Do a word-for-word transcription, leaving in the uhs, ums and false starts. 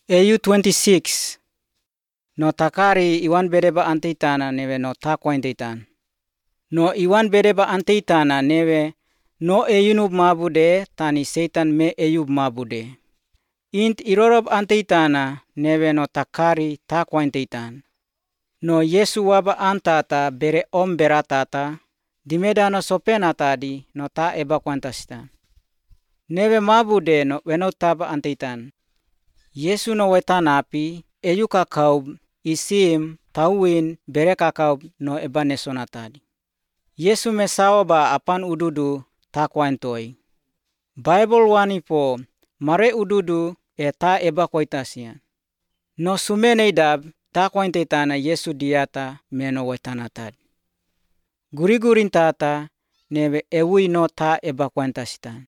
A U twenty-six. No takari iwan bereba anteitana neve no takwainteitan. No iwan bereba anteitana neve no eyunub mabude tani Satan me eyub mabude. Int irorob anteitana neve no takari takwainteitan. No Yesu waba antata bere om beratata dimedano sopenatadi no ta eba kwantasita. Neve mabude no wenotaba anteitan. Yesu no wetanapi eyu kakaub isim tauin bere kakaub no eba nesonatadi. Yesu mesaoba apan ududu takwaintoi. Bible wanipo mare ududu e ta eba koitasian. No sumeneidab takwainteitana Yesu diata meno wetanatad. Gurigurin tata neve ewui no ta eba kwantasitan.